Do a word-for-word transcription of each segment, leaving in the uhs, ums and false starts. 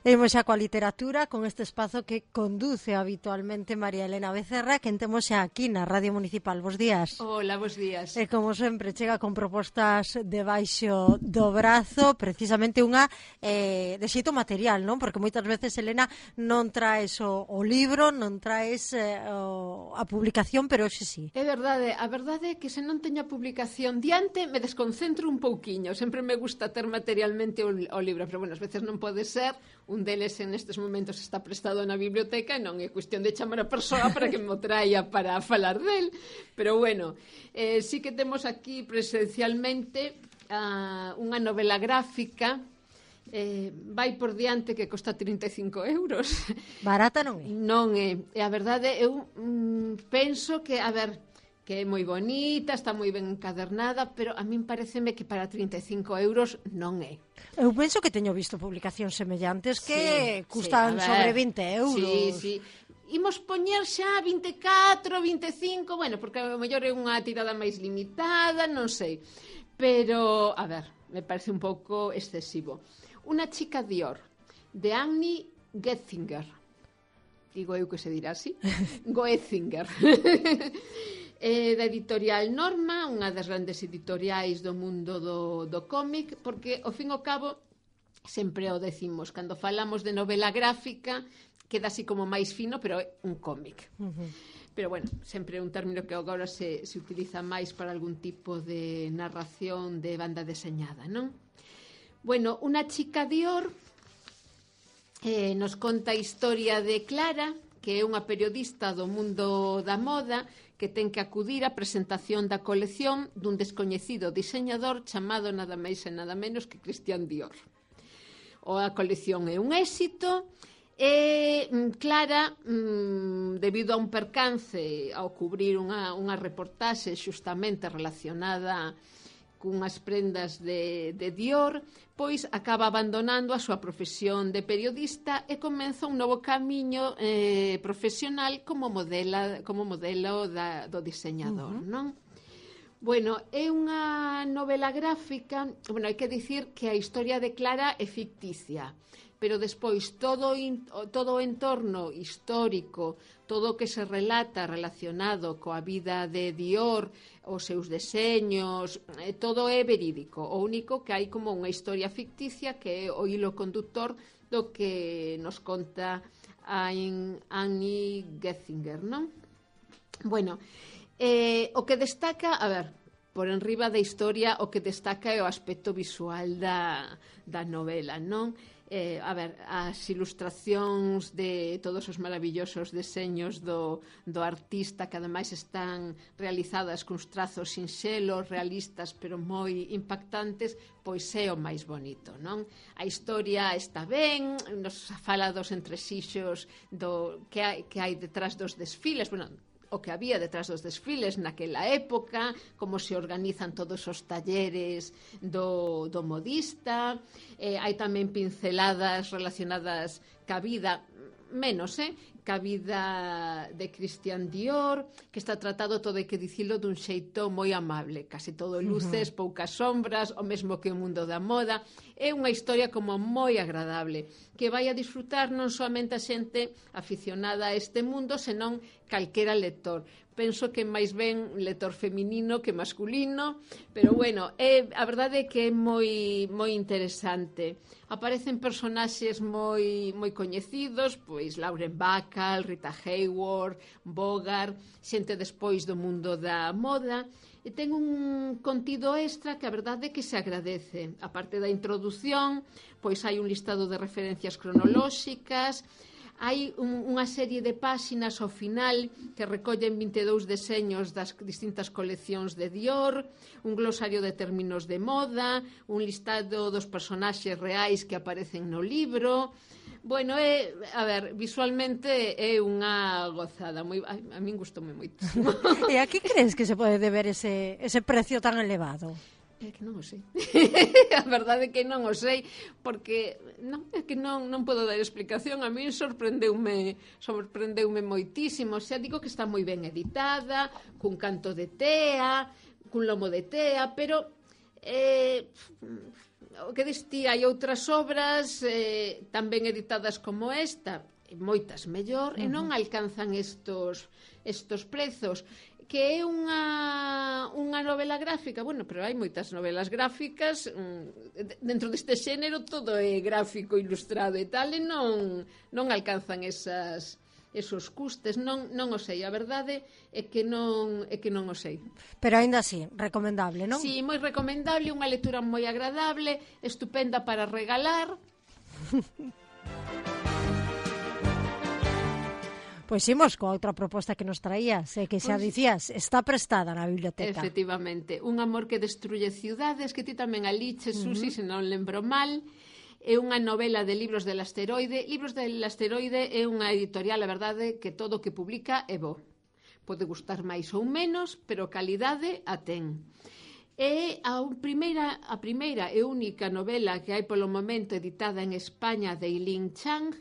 Imos xa coa literatura, con este espazo que conduce habitualmente María Elena Becerra, que temos xa aquí na Radio Municipal. Bos días. Hola, bos días. E como sempre, chega con propostas debaixo do brazo, precisamente unha eh, de xeito material, non? Porque moitas veces, Elena, non traes o, o libro, non traes eh, o, a publicación, pero hoxe sí. É verdade, a verdade é que se non teño a publicación diante, me desconcentro un pouquiño. Sempre me gusta ter materialmente o, o libro, pero, bueno, as veces non pode ser. Un deles en estes momentos está prestado na biblioteca e non é cuestión de chamar a persoa para que me traia para falar del. Pero, bueno, eh, sí que temos aquí presencialmente uh, unha novela gráfica. Eh, vai por diante que costa trinta e cinco euros. Barata non é? Non é. E a verdade, eu mm, penso que, a ver, que é moi bonita, está moi ben encadernada, pero a min pareceme que para trinta e cinco euros non é. Eu penso que teño visto publicacións semellantes que sí, custan sí, sobre vinte euros. Sí, sí. Imos poñer xa vinte e catro, vinte e cinco, bueno, porque a mellor é unha tirada máis limitada, non sei. Pero, a ver, me parece un pouco excesivo. Una chica Dior, de Annie Getzinger. Digo eu que se dirá así. Goetzinger. eh, da editorial Norma, unha das grandes editoriais do mundo do, do cómic, porque, ao fin e ao cabo, sempre o decimos, cando falamos de novela gráfica, queda así como máis fino, pero é un cómic. Uh-huh. Pero, bueno, sempre é un término que agora se, se utiliza máis para algún tipo de narración de banda deseñada, non? Bueno, Una chica Dior eh, nos conta a historia de Clara, que é unha periodista do mundo da moda que ten que acudir á presentación da colección dun descoñecido diseñador chamado nada máis e nada menos que Christian Dior. O a colección é un éxito e Clara, mm, debido a un percance ao cubrir unha, unha reportaxe xustamente relacionada cunhas prendas de, de Dior, pois acaba abandonando a súa profesión de periodista e comeza un novo camiño eh, profesional como modela, como modelo da, do diseñador, uh-huh. non? Bueno, é unha novela gráfica, bueno, hai que dicir que a historia de Clara é ficticia, pero despois todo, in, todo o entorno histórico, todo o que se relata relacionado coa vida de Dior, os seus deseños, eh, todo é verídico. O único que hai como unha historia ficticia que é o hilo conductor do que nos conta a Annie Getzinger, non? Bueno, eh, o que destaca, a ver, por enriba da historia, o que destaca é o aspecto visual da, da novela, non? Eh, a ver, as ilustracións de todos os maravillosos deseños do, do artista, que ademais están realizadas cuns trazos sinxelos, realistas, pero moi impactantes, pois é o máis bonito, non? A historia está ben, nos fala dos entresixos do, que, hai, que hai detrás dos desfiles, bueno, o que había detrás dos desfiles naquela época, como se organizan todos os talleres do, do modista, eh, hai tamén pinceladas relacionadas ca vida, menos, eh, ca vida de Christian Dior, que está tratado, todo hai que dicilo, dun xeito moi amable, casi todo luces, uh-huh. poucas sombras, o mesmo que o mundo da moda. É unha historia como moi agradable, que vai a disfrutar non soamente a xente aficionada a este mundo, senón calquera lector. Penso que máis ben lector feminino que masculino, pero bueno, é, a verdade é que é moi, moi interesante. Aparecen personaxes moi, moi coñecidos, pois Lauren Bacall, Rita Hayworth, Bogart, xente despois do mundo da moda, e ten un contido extra que a verdade é que se agradece. A parte da introdución, pois hai un listado de referencias cronolóxicas, hai un, unha serie de páxinas ao final que recollen vinte e dous deseños das distintas coleccións de Dior, un glosario de términos de moda, un listado dos personaxes reais que aparecen no libro. Bueno, é, a ver, visualmente é unha gozada, moi, a, a min gustoume moitísimo. E a que crees que se pode deber ese, ese precio tan elevado? É que non o sei. A verdade é que non o sei, porque non, é que non, non podo dar explicación. A mí sorprendeume, sorprendeume moitísimo. Xa digo que está moi ben editada, cun canto de tea, cun lomo de tea, pero Eh, o que diste, hai outras obras eh, tamén editadas como esta, moitas mellor, uh-huh. e non alcanzan estos, estos prezos. Que é unha, unha novela gráfica, bueno, pero hai moitas novelas gráficas, dentro deste xénero todo é gráfico, ilustrado e tal, e non, non alcanzan esas, esos custes, non, non o sei, a verdade é que non, é que non o sei. Pero aínda así, recomendable, non? Sí, moi recomendable, unha lectura moi agradable, estupenda para regalar. Pois imos coa outra proposta que nos traías, eh, que xa pues, dicías, está prestada na biblioteca. Efectivamente, Un amor que destruye ciudades, que ti tamén aliches, uh-huh. Susi, se non lembro mal, é unha novela de Libros del Asteroide. Libros del Asteroide é unha editorial, a verdade, que todo o que publica é bo. Pode gustar máis ou menos, pero calidade a ten. É a primeira, a primeira e única novela que hai polo momento editada en España de Eileen Chang.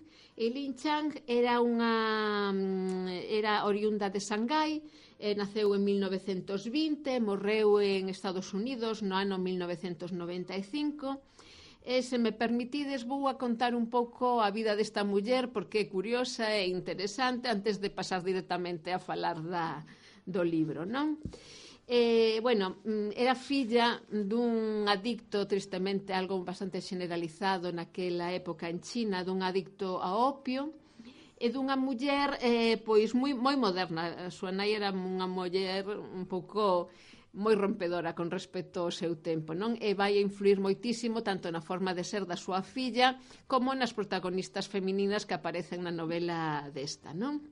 Eileen Chang era unha era oriunda de Shanghai, eh, naceu en mil novecentos vinte, morreu en Estados Unidos no ano mil novecentos noventa e cinco. E, se me permitides, vou a contar un pouco a vida desta muller, porque é curiosa e interesante, antes de pasar directamente a falar da, do libro, non? Eh, bueno, era filla dun adicto, tristemente algo bastante generalizado naquela época en China, dun adicto a opio, e dunha muller eh, pois moi, moi moderna. A súa nai era unha muller un pouco moi rompedora con respecto ao seu tempo, non? E vai a influir moitísimo tanto na forma de ser da súa filla como nas protagonistas femininas que aparecen na novela desta, non?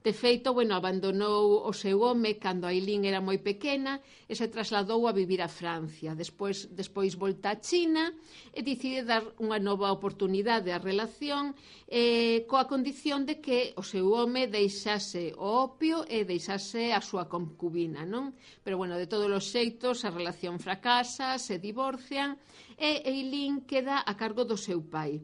De feito, bueno, abandonou o seu home cando Eileen era moi pequena e se trasladou a vivir a Francia. Despois, despois volta a China e decide dar unha nova oportunidade á relación eh, coa condición de que o seu home deixase o opio e deixase a súa concubina, non? Pero, bueno, de todos os xeitos, a relación fracasa, se divorcian e Eileen queda a cargo do seu pai.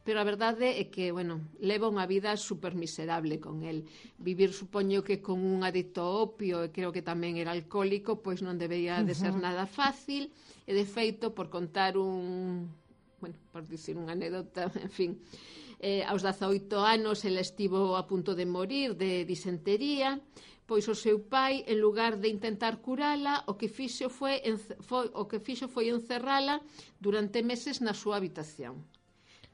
Pero a verdade é que, bueno, leva unha vida super miserable con el. Vivir, supoño que con un adicto ao opio, e creo que tamén era alcohólico, pois non debería de ser nada fácil, e de feito, por contar un, bueno, por dicir unha anécdota, en fin, eh, aos dezaoito anos ele estivo a punto de morir de disentería, pois o seu pai, en lugar de intentar curala, o que fixo foi, foi, o que fixo foi encerrala durante meses na súa habitación.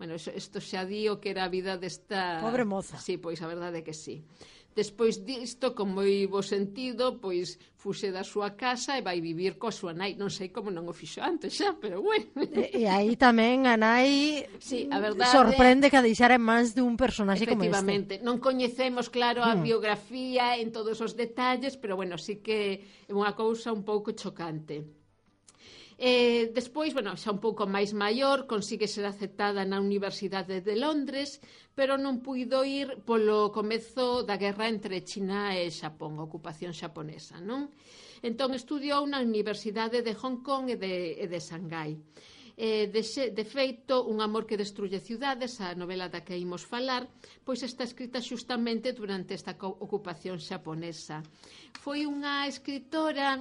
Bueno, isto xa di o que era a vida desta... Pobre moza. Sí, pois a verdade é que sí. Despois disto, con moi bo sentido, pois fuxe da súa casa e vai vivir coa súa nai. Non sei como non o fixo antes xa, pero bueno. E, e aí tamén a nai sí, a verdade, sorprende que a deixara en mans dun personaxe como este. Efectivamente, non coñecemos, claro, a hmm. biografía en todos os detalles, pero bueno, sí que é unha cousa un pouco chocante. Eh, despois, bueno, xa un pouco máis maior, consigue ser aceptada na Universidade de Londres, pero non puido ir polo comezo da guerra entre China e Xapón, a ocupación xaponesa, non? Entón estudiou na Universidade de Hong Kong e de, e de Shanghai. Eh, de, xe, de feito, Un amor que destruye ciudades, a novela da que imos falar, pois está escrita xustamente durante esta ocupación xaponesa. Foi unha escritora,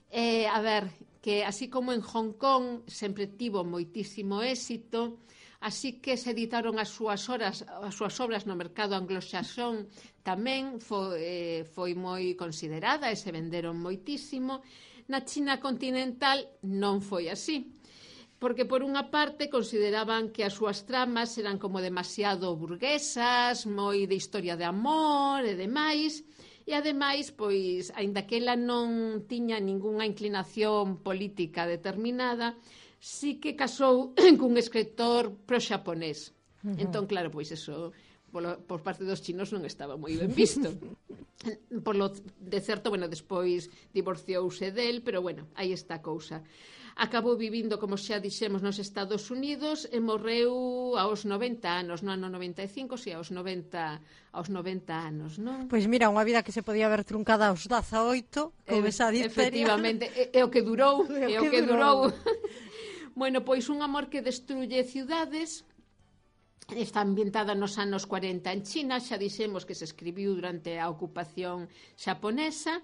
eh, a ver... que así como en Hong Kong sempre tivo moitísimo éxito, así que se editaron as súas, horas, as súas obras no mercado anglosaxón tamén foi, eh, foi moi considerada e se venderon moitísimo. Na China continental non foi así, porque por unha parte consideraban que as súas tramas eran como demasiado burguesas, moi de historia de amor e demais. E, ademais, pois, aínda que ela non tiña ningunha inclinación política determinada, sí que casou cun escritor pro-xaponés. Uh-huh. Entón, claro, pois, eso, polo, por parte dos chinos non estaba moi ben visto. Por lo de certo, bueno, despois divorciouse del, pero, bueno, aí está a cousa. Acabou vivindo, como xa dixemos, nos Estados Unidos e morreu aos noventa anos, no ano noventa e cinco, si, aos noventa, aos noventa anos, non? Pois mira, unha vida que se podía ver truncada aos dezaoito, con e, esa difteria. Efectivamente, é, é o que durou, é o que durou. Bueno, pois Un amor que destruye ciudades está ambientada nos anos cuarenta en China, xa dixemos que se escribiu durante a ocupación xaponesa.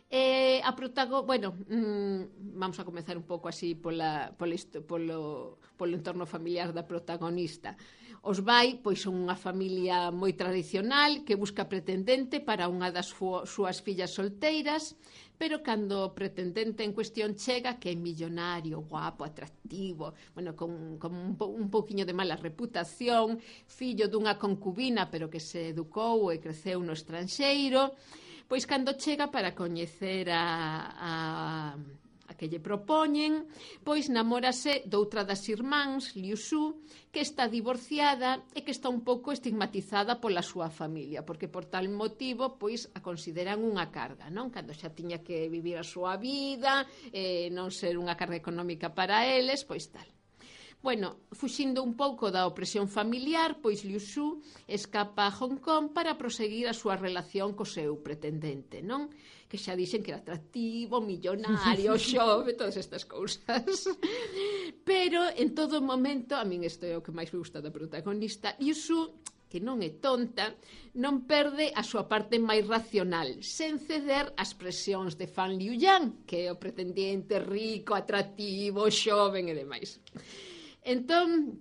Eh, a protago, bueno, mmm, vamos a comezar un pouco así pola, pola, polo, polo entorno familiar da protagonista. Os vai, pois son unha familia moi tradicional que busca pretendente para unha das súas fillas solteiras, pero cando o pretendente en cuestión chega, que é millonario, guapo, atractivo, bueno, con, con un, po, un pouquiño de mala reputación, fillo dunha concubina, pero que se educou e creceu no estranxeiro, pois cando chega para coñecer a, a, a que lle propoñen, pois namórase doutra das irmáns, Liu Su, que está divorciada e que está un pouco estigmatizada pola súa familia, porque por tal motivo pois a consideran unha carga, non? Cando xa tiña que vivir a súa vida, eh, non ser unha carga económica para eles, pois tal. Bueno, fuxindo un pouco da opresión familiar, pois Liu Su escapa a Hong Kong para proseguir a súa relación co seu pretendente, non? Que xa dixen que era atractivo, millonario, xove, todas estas cousas. Pero en todo momento, a min isto é o que máis me gusta da protagonista, Liu Su, que non é tonta, non perde a súa parte máis racional, sen ceder ás presións de Fan Liu Yang, que é o pretendente rico, atractivo, xoven e demais. Entón,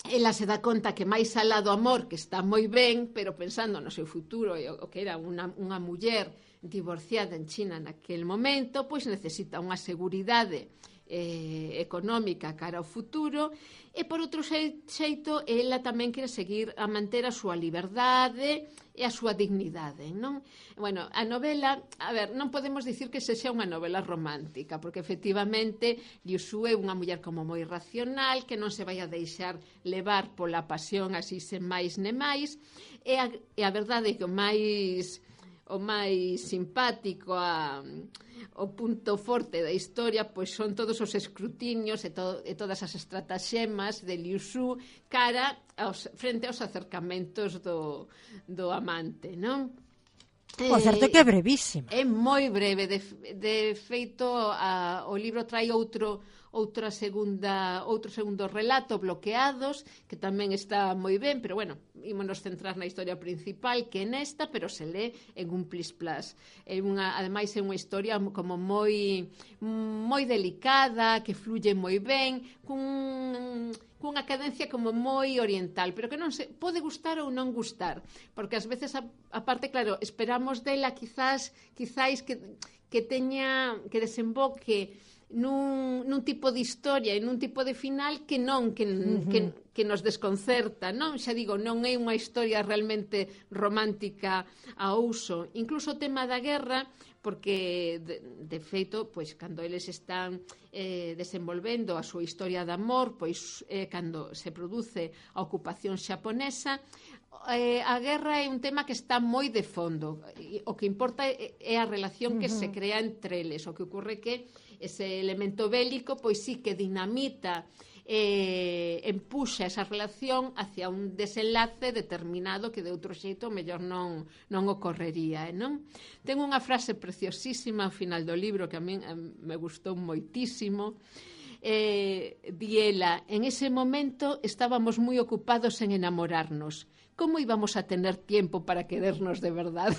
ela se dá conta que máis alá do amor, que está moi ben, pero pensando no seu futuro e o que era unha, unha muller divorciada en China naquel momento, pois necesita unha seguridade eh, económica cara ao futuro, e por outro xeito ela tamén quere seguir a manter a súa liberdade e a súa dignidade, non? Bueno, a novela, a ver, non podemos dicir que sexa unha novela romántica, porque efectivamente Liu Su é unha muller como moi racional, que non se vai a deixar levar pola pasión así sen máis ne máis, e a, e a verdade é que o máis o máis simpático, a, o punto forte da historia, pois son todos os escrutinios e, to, e todas as estrataxemas de Liu Su cara aos, frente aos acercamentos do, do amante, non? O certo é que é brevísima. É moi breve, de, de feito a, o libro trai outro outra segunda outro segundo relato, Bloqueados, que tamén está moi ben, pero bueno, ímonos centrar na historia principal, que é nesta, pero se lé en un plis plas. É unha, ademais é unha historia como moi moi delicada, que fluye moi ben, cun cunha cadencia como moi oriental, pero que non se pode gustar ou non gustar, porque ás veces a, a parte, claro, esperamos dela quizás quizás que que teña que desemboque nun, nun tipo de historia e nun tipo de final que non, que, uh-huh. que, que nos desconcerta, non? Xa digo, non é unha historia realmente romántica a uso. Incluso o tema da guerra, porque de, de feito, pois cando eles están eh, desenvolvendo a súa historia de amor, pois eh, cando se produce a ocupación xaponesa, eh, a guerra é un tema que está moi de fondo. O que importa é, é a relación que uh-huh. se crea entre eles. O que ocorre que ese elemento bélico, pois sí que dinamita, eh, empuxa esa relación hacia un desenlace determinado que de outro xeito mellor non, non ocorrería, eh, non? Ten unha frase preciosísima ao final do libro que a min eh, me gustou moitísimo. Eh, di ela, en ese momento estábamos moi ocupados en enamorarnos. Como íbamos a tener tiempo para querernos de verdade?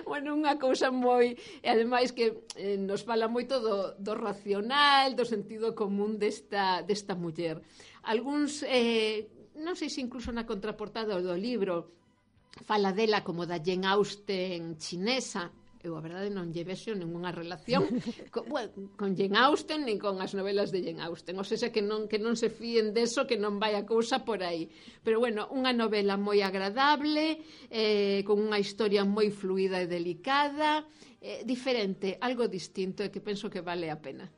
Bueno, unha cousa moi... E ademais que eh, nos fala moito do, do racional, do sentido común desta, desta muller. Algúns, eh, non sei se incluso na contraportada do libro, fala dela como da Jane Austen chinesa. Eu, a verdade, non lle vexo ninguna relación con, bueno, con Jane Austen nin con as novelas de Jane Austen. O sea, que non, que non se fíen deso, que non vai a cousa por aí. Pero, bueno, unha novela moi agradable, eh, con unha historia moi fluida e delicada, eh, diferente, algo distinto, e que penso que vale a pena.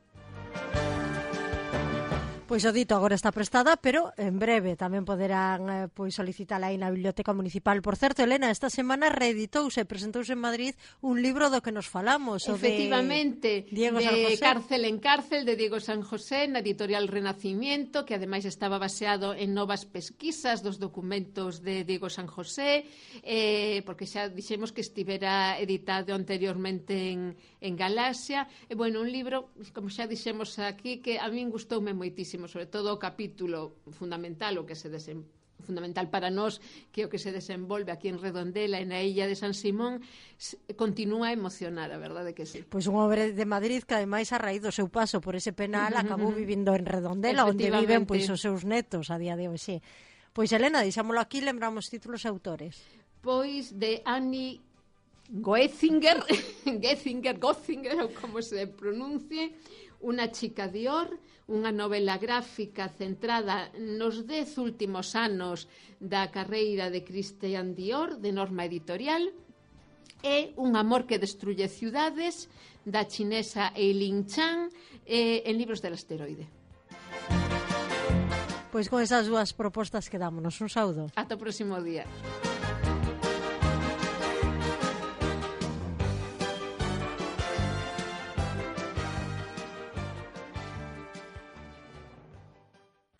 Pois o dito agora está prestada, pero en breve tamén poderán eh, pois solicitala aí na Biblioteca Municipal. Por certo, Elena, esta semana reeditouse e presentouse en Madrid un libro do que nos falamos, o efectivamente, de Diego de San José. Cárcel en Cárcel, de Diego San José, na editorial Renacimiento, que ademais estaba baseado en novas pesquisas dos documentos de Diego San José, eh, porque xa dixemos que estivera editado anteriormente en, en Galaxia. E, bueno, un libro, como xa dixemos aquí, que a min gustoume moitísimo, sobre todo o capítulo fundamental, o que se desen fundamental para nós, que o que se desenvolve aquí en Redondela e na illa de San Simón, continúa a emocionar, a verdade que sí. Pois un hombre de Madrid que ademais a raíz do seu paso por ese penal acabou vivindo en Redondela, onde viven pois os seus netos a día de hoxe. Pois Elena, deixámolo aquí, lembramos títulos e autores. Pois de Annie Goetzinger, Getzinger, Gotzinger, ou como se pronuncie, Una chica Dior, unha novela gráfica centrada nos dez últimos anos da carreira de Christian Dior, de Norma Editorial, e Un amor que destruye ciudades, da chinesa Eileen Chan, eh, en Libros del Asteroide. Pois con esas dúas propostas quedámonos. Un saúdo. Ata o próximo día.